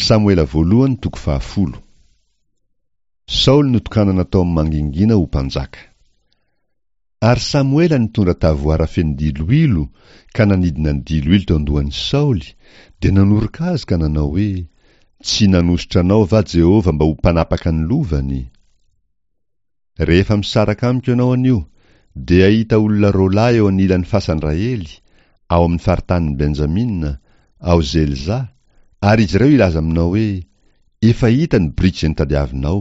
Samoela voalohany toko fahafolo. Saoly notokanana tao amin'ny mangingina ho mpanjaka. Ary Samoela nitondra tavoara feno diloilo ka nanidina ny diloilo teo an-dohan'i Saoly, dia nanoroka azy ka nanao hoe, Tsy nanosotra anao va Jehovah mba ho mpanapaka ny lovany? Rehefa misaraka amiko ianao anio, dia hahita olona roalahy eo anilan'ny fasan-dRahely, ao amin'ny faritanin'i Benjamina, ao Zelza, ary izy ireo hilaza aminao hoe, Efa hita ny biriky izay notadiavinao,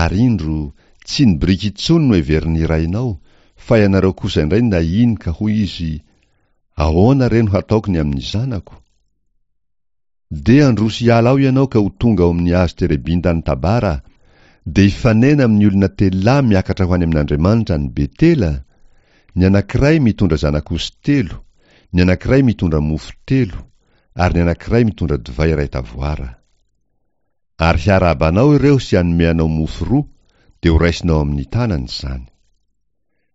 ary indro, tsy ny biriky intsony no heverin'ny rainao, fa ianareo kosa indray nahiny ka hoy izy, Ahoana re no hataoko ny amin'ny zanako? Dia handroso hiala ao ianao ka ho tonga ao amin'ny hazo terebinta any Tabara, dia hifanena amin'ny olona telolahy miakatra ho any amin'Andriamanitra any Betela, ny anankiray mitondra zanak'osy telo, ny anankiray mitondra mofo telo, ary ny anankiray mitondra divay iray tavoara. Ary hiarahaba anao ireo sy hanome anao mofo roa, dia horaisinao amin'ny tanany izany.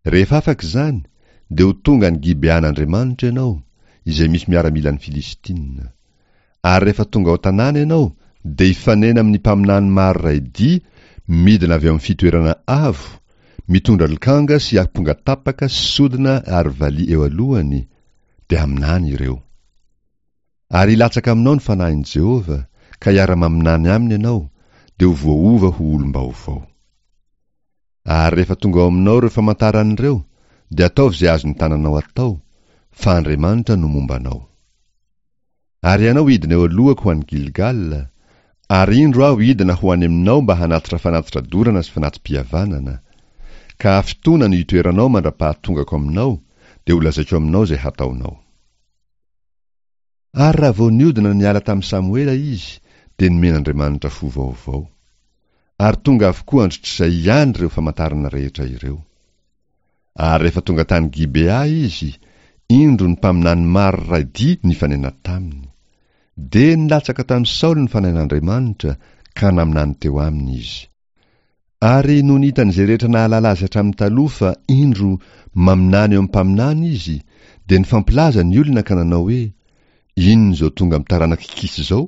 Rehefa afaka izany, dia ho tonga any Gibean'Andriamanitra ianao, izay misy miaramilan'ny Filistina. Ary rehefa tonga ao an-tanàna ianao, dia hifanena amin'ny mpaminany maro iray dia midina avy ao amin'ny fitoerana avo, mitondra lokanga sy ampongatapaka sy sodina ary valiha eo alohany, dia haminany ireo. Ary hilatsaka aminao ny fanahin'i Jehovah, ka hiara-maminany aminy ianao, dia ho voaova ho olom-baovao. Ary rehefa tonga ao aminao ireo famantarana ireo, dia ataovy izay azon'ny tananao atao, fa Andriamanitra no momba anao. Ary ianao hidina eo alohako ho any Gilgala, ary indro aho hidina ho any aminao mba hanatitra fanatitra dorana sy fanati-pihavanana. Ka hafitoana no hitoeranao mandra-pahatongako aminao, dia holazaiko aminao izay hataonao. Ary raha vao niodina niala tamin'i Samoela izy, dia nomen'Andriamanitra fo vaovao. Ary tonga avokoa andritr'izay ihany ireo famantarana rehetra ireo. Ary rehefa tonga tany Gibea izy, indro ny mpaminany maro iray dia nifanena taminy. Dia nilatsaka tamin'i Saoly ny fanahin'Andriamanitra, ka naminany teo aminy izy. Ary nony hitan'izay rehetra nahalala azy hatramin'ny taloha fa, indro, maminany eo amin'ny mpaminany izy, dia nifampilaza ny olona ka nanao hoe, Inona izao tonga amin'ny taranak'i Kisy izao?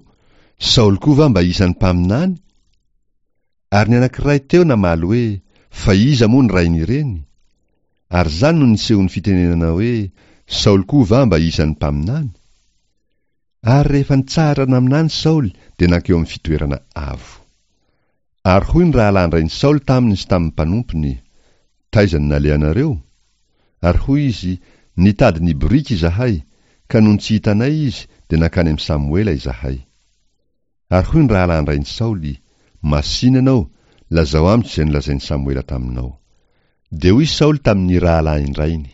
Saoly koa va mba isan'ny mpaminany? Ary ny anankiray teo namaly hoe, Fa iza moa ny rain'ireny? Ary izany no nisehoan'ny fitenenana hoe, Saoly koa va mba isan'ny mpaminany? Ary rehefa nitsahatra naminany Saoly dia nankeo amin'ny fitoerana avo. Ary hoy ny rahalahin-drain'i Saoly taminy sy tamin'ny mpanompony, Taiza no nalehanareo? Ary hoy izy, Nitady ny boriky izahay, ka nony tsy hitanay izy, dia nankany amin'i Samoela izahay. Ary hoy ny rahalahin-drain'i Saoly, Masìna ianao, lazao amiko izay nolazain'i Samoela taminao. Dia hoy Saoly tamin'ny rahalahin-drainy,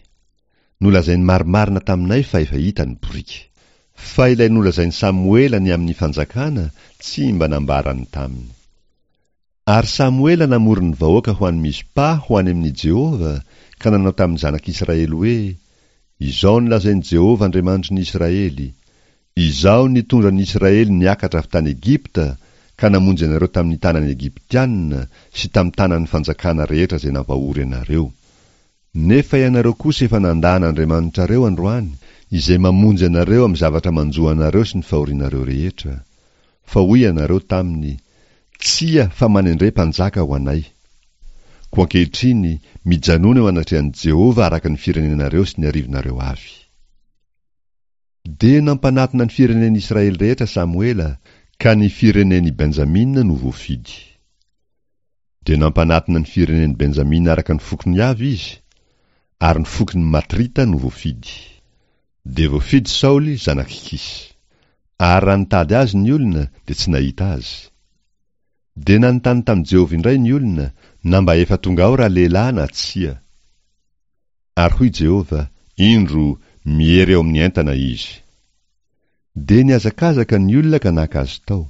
Nolazainy marimarina taminay fa efa hita ny boriky. Fa ilay nolazain'i Samoela ny amin'ny fanjakana tsy mba nambarany taminy. Ary Samoela namory ny vahoaka ho any Mizpa ho any amin'i Jehovah, ka nanao tamin'ny zanak'Israely hoe, Izao no lazain'i Jehovah Andriamanitry ny Israely, Izaho nitondra ny Israely niakatra avy tany Egypta ka namonjy anareo tamin'ny tanan'ny Egyptiana sy tamin'ny tanan'ny fanjakana rehetra izay nampahory anareo. Nefa ianareo kosa efa nandà an'Andriamanitrareo androany, izay mamonjy anareo amin'ny zavatra manjo anareo sy ny fahorianareo rehetra. Fa hoy ianareo taminy, Tsia, fa manendre mpanjaka ho anay. Koa ankehitriny, mijanòna eo anatrehan'i Jehovah araka ny firenenareo sy ny arivonareo avy. Dia nampanatona ny firenen'Israely rehetra Samoela, ka ny firenen'i Benjamina no voafidy. Dia nampanatona ny firenen'i Benjamina araka ny fokony avy izy, ary ny fokon'ny Matrita no voafidy. Dia voafidy Saoly zanak'i Kisy. Ary raha nitady azy ny olona, dia tsy nahita azy. Dia nanontany tamin'i Jehovah indray ny olona, na mba efa tonga ao ralehilahy na tsia. Ary hoy Jehovah, Indro, miery eo amin'ny entana izy. Dia nihazakazaka ny olona ka naka azy tao.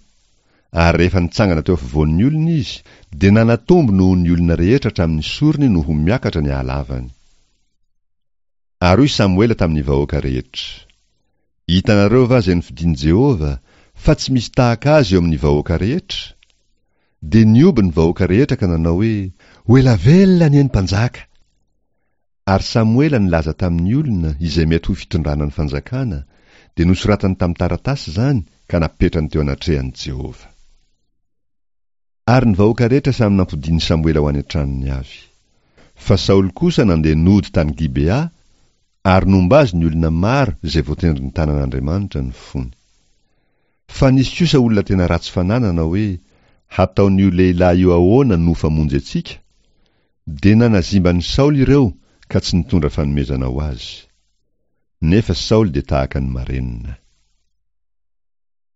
Ary rehefa nitsangana teo afovoan'ny olona izy, dia nanatombo noho ny olona rehetra hatramin'ny sorony no ho miakatra ny halavany. Ary hoy Samoela tamin'ny vahoaka rehetra, Hitanareo va izay nofidin'i Jehovah, fa tsy misy tahaka azy eo amin'ny vahoaka rehetra? Dia nihoby ny vahoaka rehetra ka nanao hoe, Ho ela velona anie ny mpanjaka! Ary Samoela nilaza tamin'ny olona izay mety ho fitondrana ny fanjakana, dia nosoratany tamin'ny taratasy izany ka. ka napetrany teo anatrehan'i Jehovah. Ary ny vahoaka rehetra samy nampodian'i Samoela ho any an-tranony avy. Fa Saoly kosa nandeha nody tany Gibea, ary nomba azy ny olona maro izay voatendrin'ny tanan'Andriamanitra ny fony. Fa nisy kosa olona tena ratsy fanahy nanao hoe, Hataon'io lehilahy io ahoana no famonjy antsika? Dia nanazimba an'i Saoly ireo ka tsy nitondra fanomezana ho azy. Nefa Saoly dia tahaka ny marenina.